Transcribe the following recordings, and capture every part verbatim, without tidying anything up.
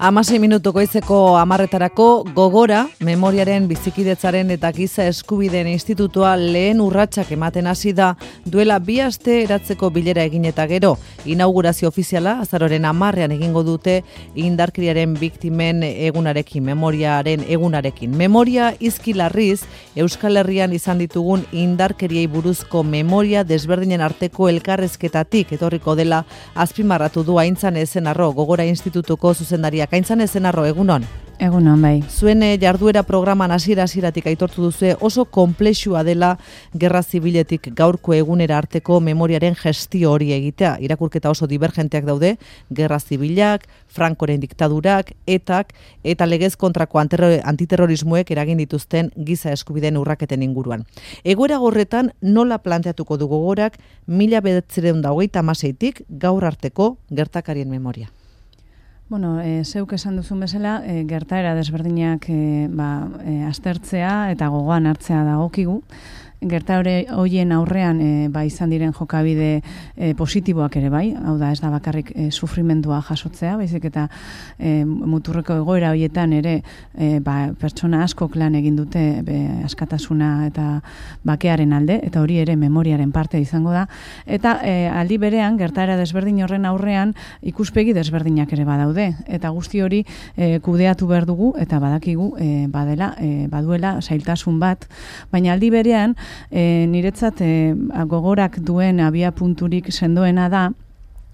Hamasei minutu goizeko hamarretarako gogora, memoriaren bizikidetzaren eta giza eskubideen institutua lehen urratsak ematen hasi da duela bi aste eratzeko bilera egin eta gero. Inaugurazio ofiziala azaroren hamarrean egingo dute indarkeriaren biktimen egunarekin, memoriaren egunarekin. Memoria izkilarriz, Euskal Herrian izan ditugun indarkeriei buruzko memoria desberdinen arteko elkarrezketatik etorriko dela azpimarratu du Aintzane Ezenarro, Gogora Institutuko zuzendariak. Aintzane Ezenarro, egunon. Egunon, bai. Zuen jarduera programan hasiera-hasieratik aitortu duzu oso konplexua dela gerra zibiletik gaurko egunera arteko memoriaren gestio hori egitea. Irakurketa oso divergenteak daude, gerra zibilak, Frankoren diktadurak, etak eta legez kontrako antiterrorismoek eragin dituzten giza eskubideen urraketen inguruan. Egoera gorretan nola planteatuko du Gogorak mila bederatziehun eta hogeita hamaseitik gaur arteko gertakarien memoria? Bueno, e, zeuk esan duzun bezala, e, gertaera desberdinak e, ba, e, aztertzea eta gogoan hartzea dagokigu. Gertaera horien aurrean e, ba, izan diren jokabide e, positiboak ere bai, hau da ez da bakarrik e, sufrimendua jasotzea, baizik eta e, muturreko egoera horietan ere e, ba, pertsona askok lan egin dute be, askatasuna eta bakearen alde, eta hori ere memoriaren parte izango da, eta e, aldi berean gertaera desberdin horren aurrean ikuspegi desberdinak ere badaude, eta guzti hori e, kudeatu behar dugu, eta badakigu e, badela, e, baduela zailtasun bat, baina aldi berean E, niretzat e, Gogorak duen abia punturik sendoena da,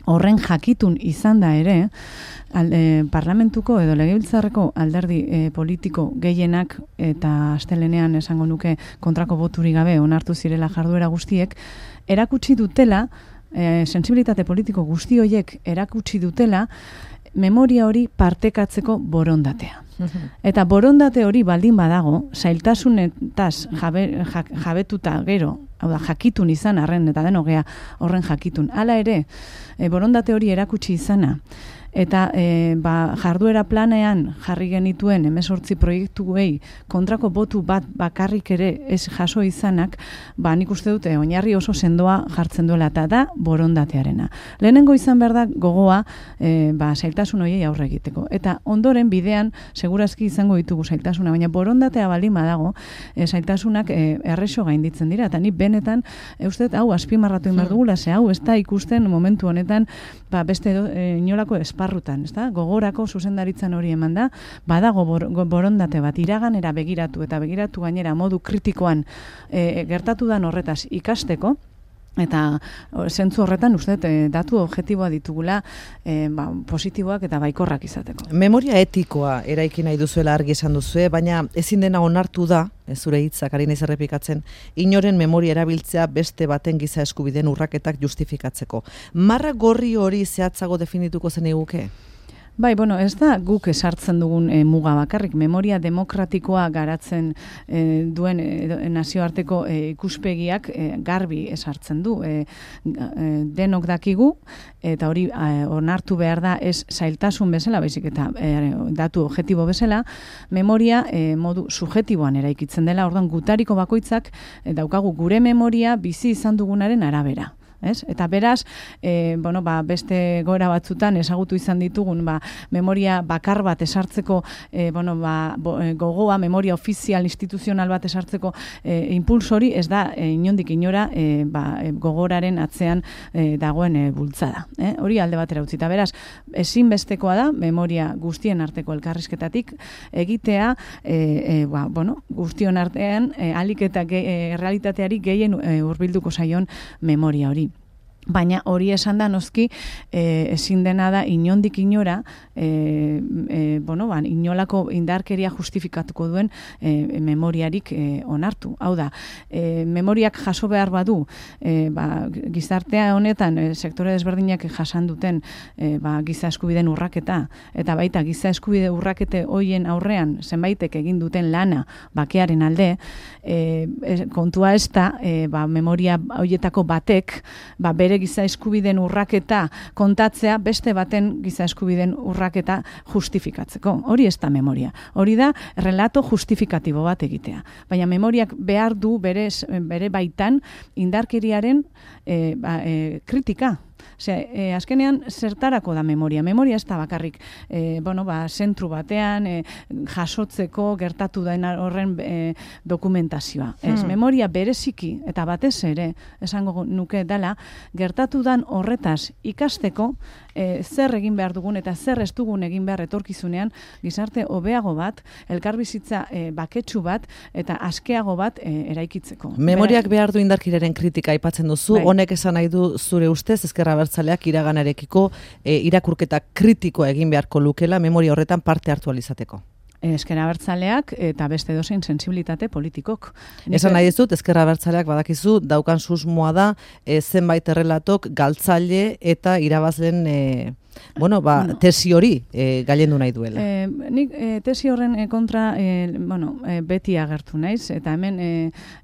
horren jakitun izan da ere, al, e, parlamentuko edo legebiltzarreko alderdi e, politiko gehienak eta astelenean esango nuke kontrako boturik gabe onartu zirela jarduera guztiek, erakutsi dutela, e, sentsibilitate politiko guzti horiek erakutsi dutela, memoria hori partekatzeko borondatea. Eta borondate hori baldin badago, zailtasunetaz jabe, ja, jabetuta gero, hau da, jakitun izan arren, eta denogea horren jakitun. Hala ere, e, borondate hori erakutsi izana, eta e, ba, jarduera planean jarri genituen hemezortzi proiektuei kontrako botu bat bakarrik ere ez jaso izanak, ba, nik uste dute oinarri oso sendoa jartzen duela eta da borondatearena. Lehenengo izan behar da gogoa e, ba, zailtasun horiei aurre egiteko. Eta ondoren bidean segurazki izango ditugu zailtasuna, baina borondatea baldin badago e, zailtasunak e, errexo gainditzen dira, eta ni benetan e, uste hau azpimarratu egin behar dugula, ze hau ez da ikusten momentu honetan ba, beste do, e, inolako esparrutan, ez da? Gogorako zuzendaritzan hori eman da, badago bor, borondate bat iraganera begiratu eta begiratu gainera modu kritikoan e, gertatu dan horretaz ikasteko, eta zentzu horretan uste e, datu objektiboa ditugula e, ba, positiboak eta baikorrak izateko. Memoria etikoa eraiki nahi duzuela argi esan duzue, baina ezin dena onartu da, ez zure hitzak ari naiz errepikatzen, inoren memoria erabiltzea beste baten giza eskubideen urraketak justifikatzeko. Marra gorri hori zehatzago definituko zen eguke? Bai, bueno, ez da guk esartzen dugun e, muga bakarrik, memoria demokratikoa garatzen e, duen e, nazioarteko e, ikuspegiak e, garbi esartzen du. E, e, denok dakigu, eta hori e, onartu behar da ez zailtasun bezala, baizik eta e, datu objektibo bezala, memoria e, modu subjektiboan eraikitzen dela, orduan gutariko bakoitzak e, daukagu gure memoria bizi izan dugunaren arabera. Ez? Eta beraz, e, bueno, ba, beste gora batzutan ezagutu izan ditugun ba, memoria bakar bat esartzeko e, bueno, ba, bo, e, gogoa, memoria ofizial instituzional bat esartzeko e, impulsori ez da e, inondik inora e, ba, e, Gogoraren atzean e, dagoen e, bultzada. Eh? Hori alde batera utzita. Beraz, ezinbestekoa da memoria guztien arteko elkarrizketatik egitea e, e, ba, bueno, guztion artean e, alik eta ge, e, realitateari gehien e, hurbilduko zaion memoria hori. Baina hori esan da noski e, ezin dena da inondik inora e, e, bueno, ba, inolako indarkeria justifikatuko duen e, memoriarik e, onartu. Hau da, e, memoriak jaso behar badu e, ba, gizartea honetan e, sektore desberdinak jasan duten e, ba, giza eskubideen urraketa eta baita giza eskubide urrakete hoien aurrean zenbaitek egin duten lana bakearen alde, e, e, kontua ez da e, ba, memoria hoietako batek ba, bere giza eskubideen urraketa kontatzea beste baten giza eskubideen urraketa justifikatzeko. Hori ez da memoria. Hori da relato justifikatibo bat egitea. Baina memoriak behar du bere, bere baitan indarkeriaren e, ba, e, kritika. Osea, e, azkenean zertarako da memoria. Memoria ez da bakarrik e, bueno, ba, zentru batean e, jasotzeko gertatu da horren e, dokumentazioa. Ez, hmm. memoria bereziki eta batez ere, esango nuke dela, gertatu dan horretaz ikasteko e, zer egin behar dugun eta zer ez dugun egin behar etorkizunean gizarte hobeago bat, elkarbizitza e, baketsu bat eta askeago bat e, eraikitzeko. Memoriak behar du indarkeriaren kritika aipatzen duzu, bai. Honek esan nahi du zure ustez Ezker Abertzaleak iraganarekiko e, irakurketa kritikoa egin beharko lukela memoria horretan parte hartu alizateko. Ezker Abertzaleak eta beste dozein sensibilitate politikok. Esan nahi ez dut, Ezker Abertzaleak badakizu, daukan susmoa da, e, zenbait errelatok galtzaile eta irabazlen e, bueno, ba, no. tesi hori e, gailendu nahi duela. E, nik e, tesi horren e, kontra e, bueno, e, beti agertu naiz, eta hemen e,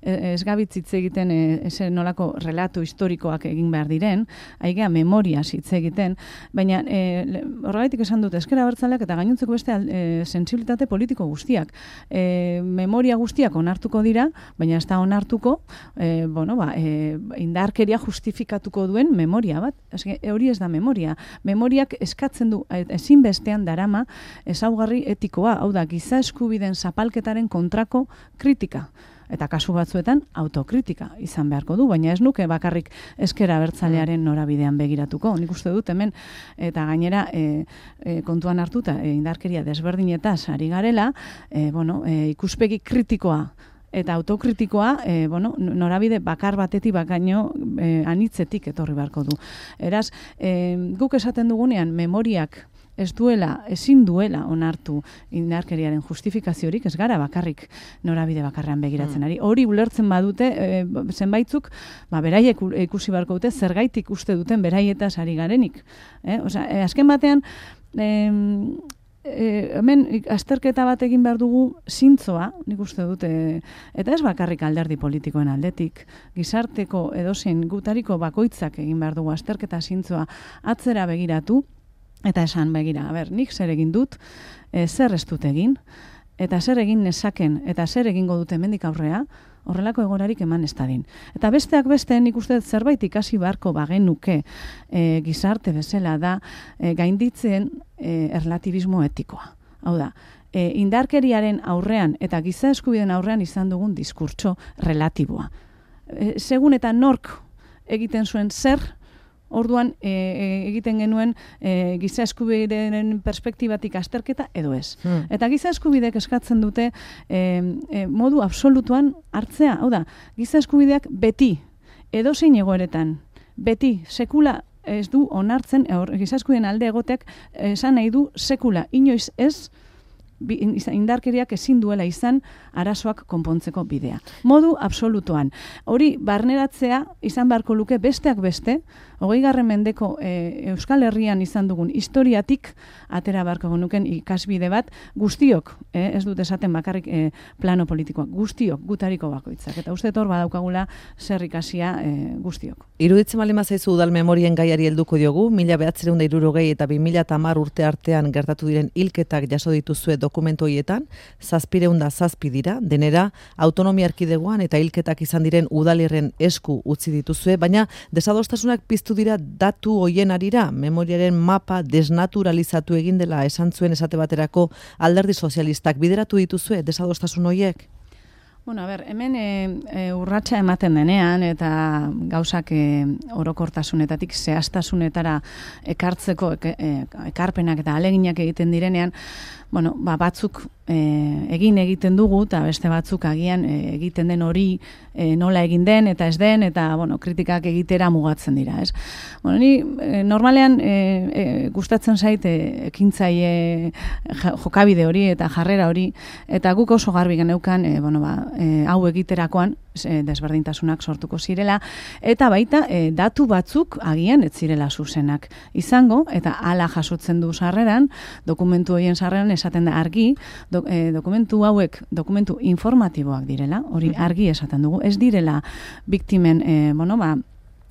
ez gabitzitze egiten e, ese nolako relatu historikoak egin behar diren, haigea memoria hitz egiten, baina e, horregaitik esan dut Ezker Abertzaleak eta gainontzeko beste e, sensibilitate politiko guztiak. E, memoria guztiak onartuko dira, baina ez da onartuko e, bueno, ba, e, indarkeria justifikatuko duen memoria bat. Eske, hori ez da memoria. Memoria eskatzen du ezinbestean darama ezaugarri etikoa, hau da, giza eskubideen zapalketaren kontrako kritika. Eta kasu batzuetan autokritika izan beharko du, baina ez nuke bakarrik Ezker Abertzalearen norabidean begiratuko. Nik uste dut hemen, eta gainera e, e, kontuan hartuta e, indarkeria desberdinetaz ari garela, e, bueno, e, ikuspegi kritikoa eta autokritikoa, e, bueno, norabide bakar batetik bakaino e, anitzetik etorri beharko du. Eraz, e, guk esaten dugunean memoriak ez duela, ezin duela onartu indarkeriaren justifikaziorik, ez gara bakarrik norabide bakarrean begiratzen ari. Hori ulertzen badute, e, zenbaitzuk, ba, beraiek ikusi beharko dute, zergaitik uste duten beraietaz ari garenik. Eh? Osea, e, azken batean, e, E, hemen azterketa bat egin behar dugu zintzoa, nik uste dute, eta ez bakarrik alderdi politikoen aldetik, gizarteko edozein gutariko bakoitzak egin behar dugu azterketa zintzoa atzera begiratu, eta esan begira, a ber, nik zer egin dut, e, zer ez dut egin, eta zer egin nezaken, eta zer egingo dute hemendik aurrea, horrelako egorarik eman ez dadin. Eta besteak beste, nik uste zerbait ikasi beharko bagenuke e, gizarte bezala da e, gainditzen e, erlatibismo etikoa. Hau da, e, indarkeriaren aurrean eta giza eskubideen aurrean izan dugun diskurtso relatiboa. E, segun eta nork egiten zuen zer, orduan e, e, egiten genuen e, giza eskubideen perspektibatik azterketa edo ez. Hmm. Eta giza eskubidek eskatzen dute e, e, modu absolutuan hartzea. Hau da, giza eskubideak beti, edozein egoeretan, beti, sekula ez du onartzen, or, giza eskubideen alde egoteak esan nahi du sekula, inoiz ez, indarkeriak ezin duela izan arazoak konpontzeko bidea. Modu absolutuan. Hori barneratzea izan beharko luke besteak beste, hogeigarren mendeko e, Euskal Herrian izan dugun historiatik atera beharko genuken ikasbide bat guztiok, e, ez dut esaten bakarrik e, plano politikoak, guztiok, gutariko bakoitzak. Eta uste hor badaukagula zer ikasia e, guztiok. Iruditzen baldin bazaizu udal memorien gaiari helduko diogu, mila bederatziehun eta hirurogei eta bi mila hamar urte artean gertatu diren hilketak jaso dituzue dokumentu horietan, zazpiehun eta zazpi dira, denera autonomia erkidegoan eta hilketak izan diren udalirren esku utzi dituzue, baina desadostasunak piztu dira datu hoien arira, memoriaren mapa desnaturalizatu egin dela esan zuen esate baterako alderdi sozialistak bideratu dituzue desadostasun hoiek? Bueno, a ber, hemen e, e, urratsa ematen denean eta gauzak e, orokortasunetatik zehaztasunetara ekartzeko e, e, ekarpenak eta aleginak egiten direnean, bueno, ba, batzuk e, egin egiten dugu eta beste batzuk agian e, egiten den hori e, nola egin den eta ez den eta bueno, kritikak egitera mugatzen dira, ez? Bueno, ni e, normalean e, e, gustatzen zait e, ekintzaile jokabide hori eta jarrera hori eta guk oso garbi geneukan e, bueno, ba, e, hau egiterakoan e, desberdintasunak sortuko zirela eta baita e, datu batzuk agian ez zirela zuzenak izango eta hala jasotzen du sarreran, dokumentu horien sarreran esaten da argi, do, e, dokumentu hauek dokumentu informatiboak direla, hori argi esaten dugu, ez direla biktimen e, bueno, ba,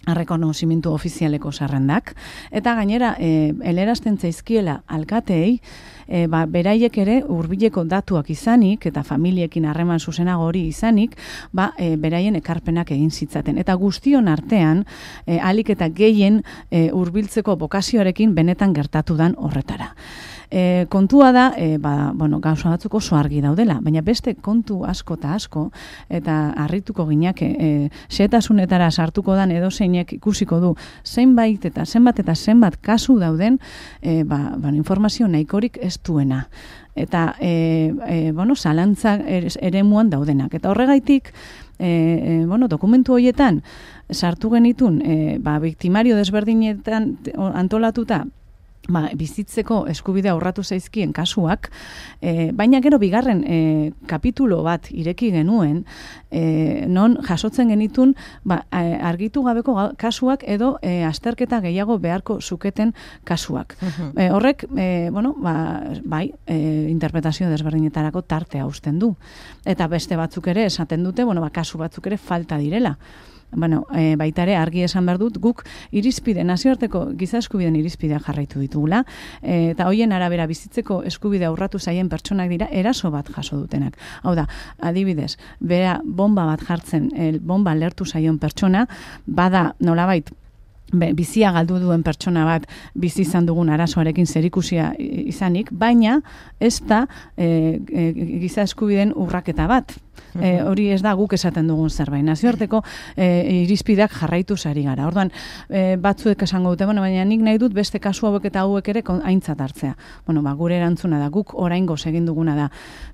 errekonozimentu ofizialeko zerrendak, eta gainera e, elerazten zaizkiela alkateei, e, ba, beraiek ere hurbileko datuak izanik, eta familiekin harreman zuzenago hori izanik, ba, e, beraien ekarpenak egin zitzaten. Eta guztion artean, e, alik eta gehien e, hurbiltzeko bokazioarekin benetan gertatu dan horretara. E, kontua da, e, ba, bueno, gauza batzuk oso argi daudela, baina beste kontu asko eta asko, eta harrituko ginak, e, xehetasunetara sartuko dan edo zeinek ikusiko du, zenbait eta zenbat eta zenbat kasu dauden, e, ba, ba, informazio nahikorik ez duena. Eta, e, e, bueno, zalantza ere muan daudenak. Eta horregaitik, e, e, bueno, dokumentu horietan, sartu genitun, e, ba, biktimario desberdinetan antolatuta, ba, bizitzeko eskubidea urratu zaizkien kasuak, e, baina gero bigarren e, kapitulo bat ireki genuen, e, non jasotzen genitun ba, argitu gabeko kasuak edo e, azterketa gehiago beharko zuketen kasuak. Uh-huh. E, horrek, e, bueno, ba, bai, e, interpretazio desberdinetarako tartea uzten du. Eta beste batzuk ere esaten dute, bueno, ba, kasu batzuk ere falta direla. Bueno, e, baita ere argi esan behar dut, guk irizpide, nazioarteko giza eskubideen irizpidea jarraitu ditugula, e, eta hoien arabera bizitzeko eskubidea urratu zaien pertsonak dira eraso bat jaso dutenak. Hau da, adibidez, bera bomba bat jartzen, el, bomba lertu zaion pertsona, bada nolabait, Be, bizia galdu duen pertsona bat bizi izan dugun arazoarekin zerikusia izanik, baina ez da e, e, giza eskubideen urraketa bat. E, hori ez da guk esaten dugun zerbait. Nazioarteko e, irizpideak jarraitu zari gara. Orduan, e, batzuek esango dute, bueno, baina nik nahi dut beste kasu hauek eta hauek ere aintzat hartzea. Bueno, ba, gure erantzuna da, guk oraingoz egin duguna da.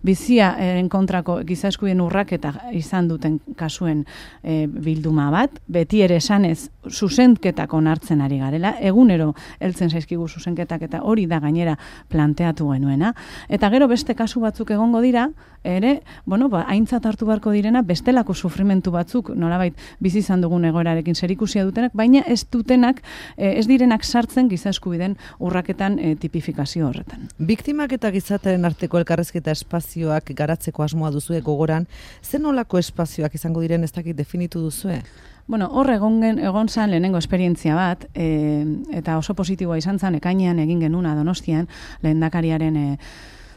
Biziaren kontrako giza eskubideen urraketa izan duten kasuen e, bilduma bat, beti ere esanez zuzenketak onartzen ari garela, egunero heltzen zaizkigu zuzenketak eta hori da gainera planteatu genuena. Eta gero beste kasu batzuk egongo dira, ere, bueno, ba, aintzat hartu beharko direna, bestelako sufrimentu batzuk, nolabait bizi izan dugun egoerarekin zerikusia dutenak, baina ez dutenak, ez direnak sartzen giza eskubideen urraketan e, tipifikazio horretan. Biktimak eta gizartearen arteko elkarrizketa espazioak garatzeko asmoa duzue gogoran, zen nolako espazioak izango diren ez dakit definitu duzue? Bueno, hor egon, egon zan lehenengo esperientzia bat, e, eta oso positiboa izan zan, ekainean egin genuna Donostian, lehendakariaren e,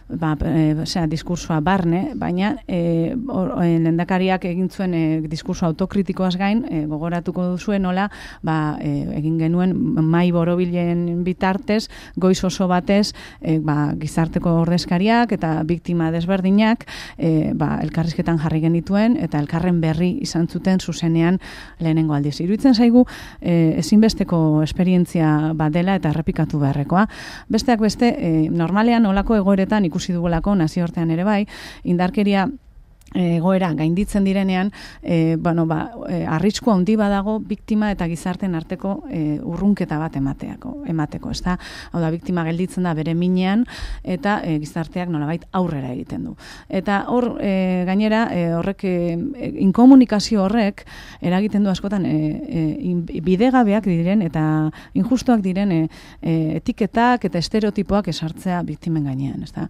ba, e, osea, diskursoa barne, baina e, or, e, lehendakariak egin zuen e, diskurso autokritikoaz gain, e, gogoratuko duzuen nola, ba, e, egin genuen mai borobilen bitartez, goiz oso batez, e, ba, gizarteko ordezkariak eta biktima desberdinak, e, ba, elkarrizketan jarri genituen, eta elkarren berri izan zuten zuzenean lehenengo aldiz. Iruditzen zaigu, e, ezinbesteko esperientzia bat dela eta errepikatu beharrekoa. Besteak beste, e, normalean olako egoeretan ikusi dugulako nazioartean ere bai, indarkeria egoera gainditzen direnean, e, bueno, ba, e, arrisku handi badago biktima eta gizarten arteko e, urrunketa bat emateako, emateko, ez da? Hau da, biktima gelditzen da bere minean eta e, gizarteak nolabait aurrera egiten du. Eta hor, e, gainera, e, horrek, e, inkomunikazio horrek eragiten du askotan e, e, bidegabeak diren eta injustuak diren e, e, etiketak eta estereotipoak esartzea biktimen gainean, ez da?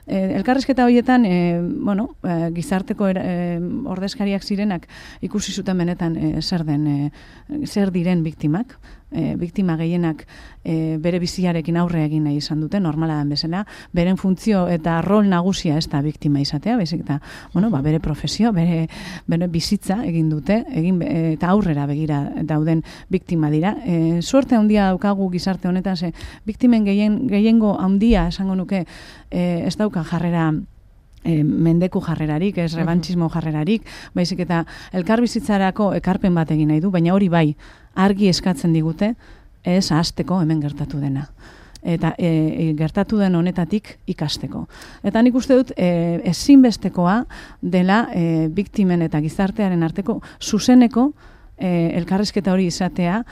E, elkarrizketa horietan, e, bueno, e, gizarte arteko e, ordezkariak zirenak ikusi zuten benetan e, zer den e, zer diren biktimak, e, biktima gehienak e, bere biziarekin aurre egin nahi izan dute, normala den bezala, beren funtzio eta rol nagusia ez da biktima izatea, baizik eta, bueno, ba, bere profesio, bere, bere bizitza egin dute, egin e, eta aurrera begira dauden biktima dira. E, suerte handia daukagu gizarte honetan, ze biktimen gehien, gehiengo handia esango nuke e, ez daukan jarrera E, mendeku jarrerarik, ez rebantxismo jarrerarik, baizik eta elkarbizitzarako ekarpen bat egin nahi du, baina hori bai, argi eskatzen digute, ez ahasteko hemen gertatu dena. Eta e, gertatu den honetatik ikasteko. Eta nik uste dut e, ezinbestekoa dela e, biktimen eta gizartearen arteko zuzeneko e, elkarrizketa hori izatea,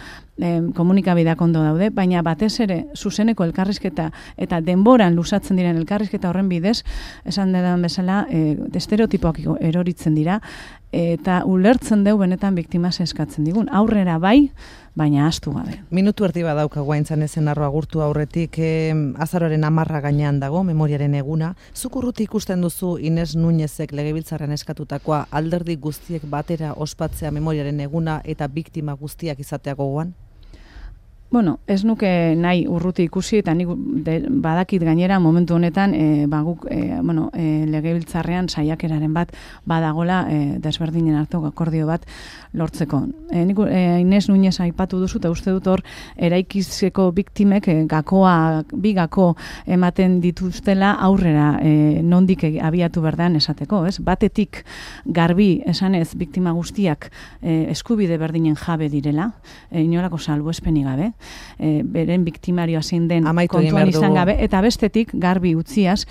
e, komunikabideak ondo daude, baina batez ere zuzeneko elkarrizketa eta denboran lusatzen diren elkarrizketa horren bidez, esan dedan bezala, e, estereotipoak eroritzen dira, eta ulertzen deu benetan biktima eskatzen digun. Aurrera bai, baina ahaztu gabe. Minutu erdi badaukagu aintzan ezen arro agurtu aurretik, eh, azaroaren amarra gainean dago, memoriaren eguna. Zuk urruti ikusten duzu Ines Núñezek legebiltzarrean eskatutakoa alderdi guztiek batera ospatzea memoriaren eguna eta biktima guztiak izatea gogoan? Bueno, ez nuke nahi urruti ikusi eta nik de, badakit gainera momentu honetan e, ba, guk, e, bueno, e, legebiltzarrean saiakeraren bat badagola e, desberdinen arteko akordio bat lortzeko. E, nik, e, Ines Núñez aipatu duzu eta uste dut hor eraikizeko biktimek e, gakoa, bi gako ematen dituztela aurrera e, nondik abiatu berdan esateko, ez? Batetik garbi esanez biktima guztiak e, eskubide berdinen jabe direla, e, inolako salbuespenik gabe. E, beren biktimarioa zein den Amaitu kontuan izan gabe, eta bestetik garbi utziaz,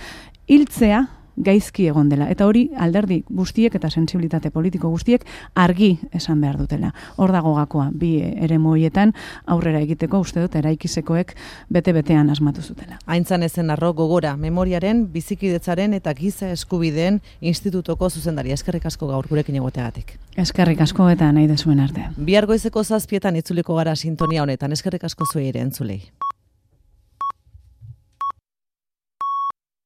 hiltzea gaizki egon dela. Eta hori alderdi guztiek eta sentsibilitate politiko guztiek argi esan behar dutela. Hor dago gakoa, bi eremu horietan aurrera egiteko uste dut eraikizekoek bete-betean asmatu zutela. Aintzan ezen arro gogora, memoriaren, bizikidetzaren eta giza eskubideen institutoko zuzendaria. Eskerrik asko gaur gurekin egoteagatik. Eskerrik asko eta nahi dezuen arte. Bihar goizeko zazpietan itzuliko gara sintonia honetan. Eskerrik asko zuei ere entzulei.